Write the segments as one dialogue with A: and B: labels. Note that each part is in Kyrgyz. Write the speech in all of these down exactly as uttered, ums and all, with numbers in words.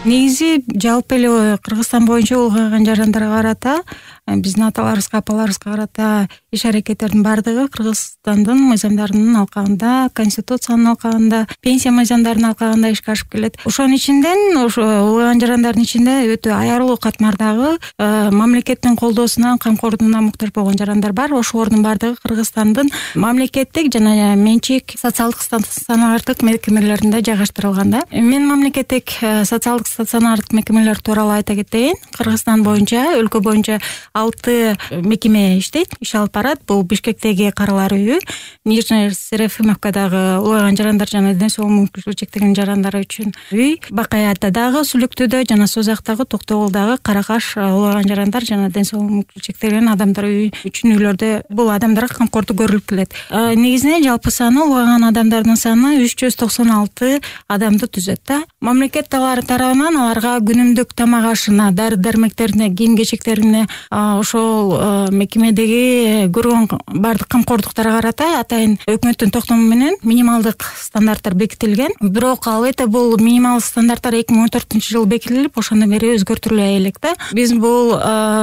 A: Негизи жалпы эле Кыргызстан боюнча улгайган жарандарга карата, биздин аталарыбызга, апаларыбызга карата иш аракеттердин баардыгы Кыргызстандын мыйзамдарынын алкагында, конституциянын алкагында, пенсия мыйзамдарынын алкагында ишке ашып келет. Ошонун ичинден ошо улгайган жарандардын ичинде өтө аярлуу катмардагы мамлекеттин колдоосуна, камкордугуна муктаж болгон жарандар бар. Ошолордун баардыгы Кыргызстандын мамлекеттик жана менчик социалдык стационардык мекемелеринде жайгаштырылган да. Мен мамлекеттик социалдык стационардык мекемелер тууралуу айта кетейин. Кыргызстан боюнча, өлкө боюнча алты мекеме иштейт, иш алып барат. Бул Бишкектеги Каралар үйү, Нижний Серафимовкадагы улгайган жарандар жана ден соолук мүмкүнчүлүгү чектелген жарандар үчүн үй, Бакаятадагы, Сүлүктүүдө жана Созактагы, Токтогулдагы Каракаш улгайган жарандар жана ден соолук мүмкүнчүлүгү чектелген адамдар үйү үчүн үйлөрдө бул адамдарга камкордук көрүлүп келет. Негизинен жалпы саны улгайган адамдардын саны үч жүз токсон алты адамды түзөт да. Мамлекет тарабынан аларга күнүмдүк тамак ашына, дары-дармектерине, кийим-кечектерине, ошол мекемедеги көргөн баардык камкордуктарга карата атайын өкмөттүн токтому менен минималдык стандарттар бекитилген. Бирок албетте бул минималдык стандарттар эки миң он төртүнчү жылы бекитилип, ошондон бери өзгөртүлбөй элек да. Биз бул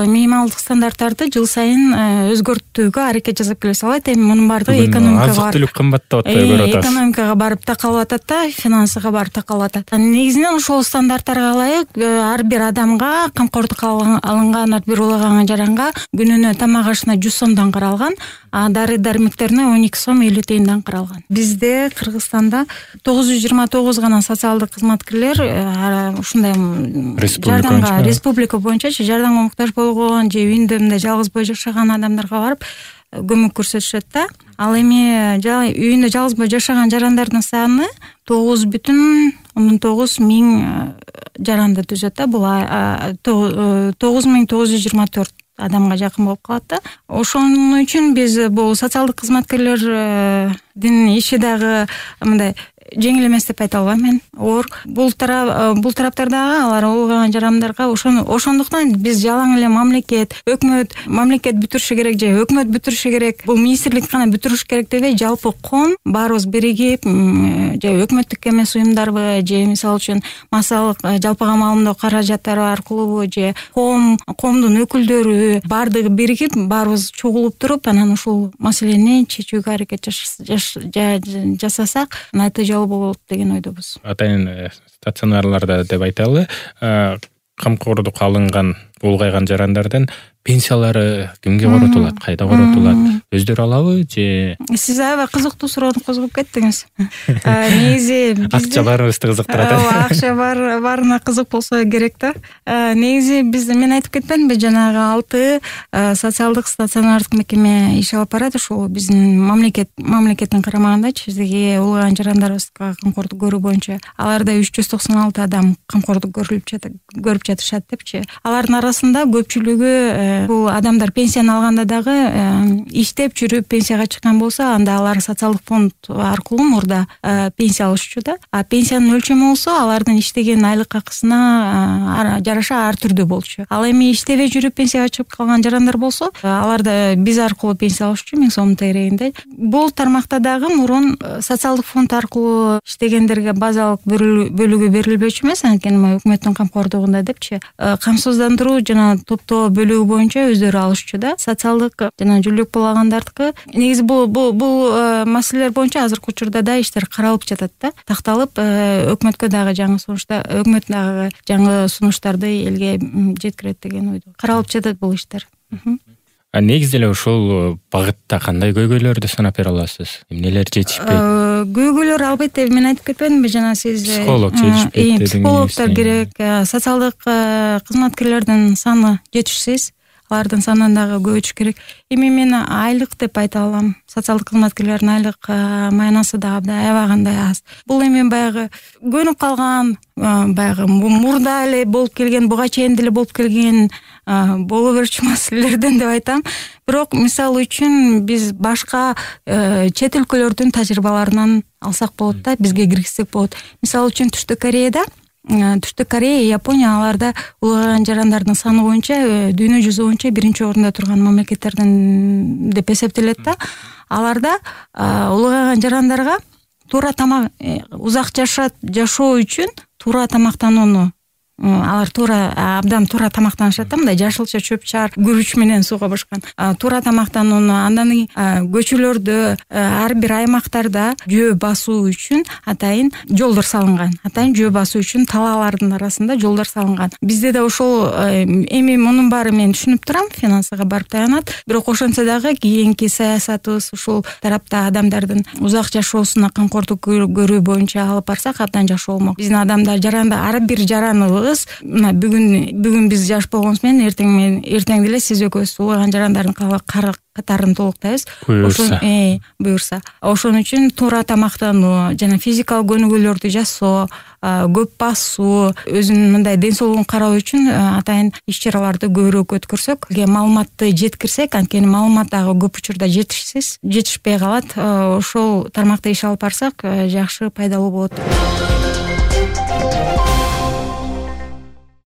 A: минималдык стандарттарды жыл сайын өзгөртүүгө аракет жасап келебиз. Албетте эми мунун баардыгы экономикага,
B: азык-түлүк кымбаттап атпайбы көрүп атабыз.
A: Экономикага барып такалып атат да, финансыга барып такалып атат. Негизинен ошол стандарттарга ылайык ар бир адамга камкордукка алынган ар бир улгайган жаранга күнүнө тамак ашына жүз сомдон каралган, а дары-дармектерине он эки сом элүү тыйындан каралган. Бизде Кыргызстанда тогуз жүз жыйырма тогуз гана социалдык кызматкерлер ушундай жардамга республика боюнча жардамга муктаж болгон же үйүндө мындай жалгыз бой жашаган адамдарга барып көмөк көрсөтүшөт да. Ал эми үйүндө жалгыз бой жашаган жарандардын саны тогуз бүтүн ондон тогуз миң жаранды түзөт да. Бул тогуз миң тогуз жүз жыйырма төрт адамга жакын болуп калат да. Ошон үчүн биз бул социалдык кызматкерлердин иши дагы мындай жеңил эмес деп айта албайм мен. Оор бул тарап бул тараптардагы алар улгайган жарандарга ошону ошондуктан биз жалаң эле мамлекет, өкмөт, мамлекет бүтүрүшү керек же өкмөт бүтүрүшү керек, бул министрлик гана бүтүрүш керек дебей, жалпы ком баарыбыз биригип, же өкмөттүк эмес уюмдарбы, же мисалы үчүн массалык жалпыга маалымдоо каражаттары аркылуубу, же ком, комдун өкүлдөрү баардыгы биригип, баарыбыз чогулуп туруп, анан ушул маселени чечүүгө аракет жасасак, натыйжалуу болот деген ойдобуз.
B: Атайын стационарларда деп айталы, камкордук алынган улгайган жарандардын пенсиялары кимге коротулат, кайда коротулат, өздөрү алабы же?
A: Сиз аябай кызыктуу суроону козгоп кеттиңиз. Негизи
B: акча баарыбызды кызыктырат.
A: Акча бар, баарына кызык болсо керек да. Негизи бизде мен айтып кетпедимби, жанагы алты социалдык стационардык мекеме иш алып барат. Ошол биздин мамлекет мамлекеттин карамагындачы, бизге улгайган жарандарыбызга камкордук көрүү боюнча аларда үч жүз токсон алты адам камкордук көрүлүп жатат, көрүп жатышат депчи. Алардын арасында көпчүлүгү бул адамдар пенсияны алганда дагы иштеп жүрүп пенсияга чыккан болсо, анда алар социалдык фонд аркылуу мурда пенсия алышчу да. А пенсиянын өлчөмү болсо алардын иштеген айлык акысына жараша ар түрдүү болчу. Ал эми иштебей жүрүп пенсияга чыгып калган жарандар болсо, аларда биз аркылуу пенсия алышчу, миң сомдун тегерегинде. Бул тармакта дагы мурун социалдык фонд аркылуу иштегендерге базалык бөлүгү берилбөчү эмес, анткени өкмөттүн камкордугунда депчи. Камсыздандыруу жана топтоо бөлүгү боюнча өздөрү алышчу да. Социалдык жана жүлдүк болгондардыкы негизи бул бул маселелер боюнча азыркы учурда да иштер каралып жатат да. Такталып, өкмөткө дагы жаңы сунуштар, өкмөт дагы жаңы сунуштарды элге жеткирет деген ойдо. Каралып жатат бул иштер.
B: А негизи эле ушул багытта кандай көйгөйлөрдү санап бере аласыз? Эмнелер жетишпейт?
A: Көйгөйлөр албетте мен айтып кетпедимби жана сиз?
B: Психолог жетишпейт дедиңиз.
A: Психологдор керек, социалдык кызматкерлердин саны жетишсиз. Алардын санын дагы көбөйтүш керек. Эми мен айлык деп айта алам. Социалдык кызматкерлердин айлык маянасы дагы аябай кандай аз. Бул эми баягы көнүп калган, баягы мурда эле болуп келген, буга чейин деле болуп келген боло берчү маселелерден деп айтам. Бирок мисалы үчүн биз башка чет өлкөлөрдүн тажрыйбаларынан алсак болот да, бизге киргизсек болот. Мисалы үчүн Түштүк Кореяда Түштүк Корея, Япония аларда улгайган жарандардын саны боюнча дүйнө жүзү боюнча биринчи орунда турган мамлекеттерден деп эсептелет да. Аларда улгайган жарандарга туура тамак, узак жашоо үчүн туура тамактанууну алар туура абдан туура тамактанышат да, мындай жашылча чөп чар күрүч менен сууга бышкан туура тамактанууну, андан көчөлөрдө ар бир аймактарда жөө басуу үчүн атайын жолдор салынган, атайын жөө басуу үчүн талаалардын арасында жолдор салынган. Бизде да ошол эми мунун баары мен түшүнүп турам, финансыга барып таянат, бирок ошентсе дагы кийинки саясатыбыз ушул тарапта адамдардын узак жашоосуна камкордук көрүү боюнча алып барсак абдан жакшы болмок. Биздин адамдар жаранды ар бир жараныбыз мына бүгүн бүгүн биз жаш болгонубуз менен эртең менен эртең деле сиз экөөбүз улгайган жарандардын катарын толуктайбыз. Буюрса. Э, буюрса. Ошон үчүн туура тамактануу жана физикалык көнүгүүлөрдү жасоо, көп басуу, өзүнүн мындай ден соолугун кароо үчүн атайын иш-чараларды көбүрөөк өткөрсөк, маалыматты жеткирсек, анткени маалымат дагы көп учурда жетишсиз, жетишпей калат. Ошол тармакта иш алып барсак, жакшы пайдалуу болот.